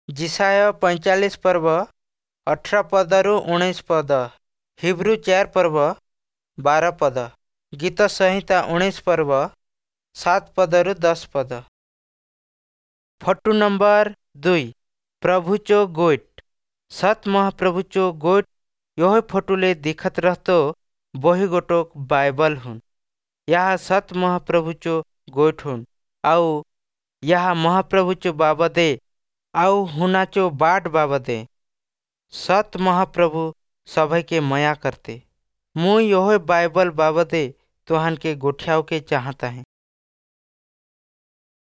ଯିଶାଇୟ 45 ପର୍ବ 18 ପଦରୁ 19 ପଦ, ହିବ୍ରୁ 4 ପର୍ବ 12 ପଦ, ଗୀତ ସଂହିତା 19 ପର୍ବ 7 ପଦରୁ 10 ପଦ। Photo number 2, ପ୍ରଭୁଚୋ ଗୋଇଠ। ସत ମହାପ୍ରଭୁଚୋ गोठ यह फोटुले दिखत रहतो बोही गोटोक बाइबल हुन। यह सत महाप्रभुचो गोठ हुन आउ यह महाप्रभुचो बाबदे आउ हुनाचो बाट बाबदे। सत महाप्रभु सभी के मया करते। मुई यह बाइबल बाबदे तुहन के गोठियाव के चाहता है।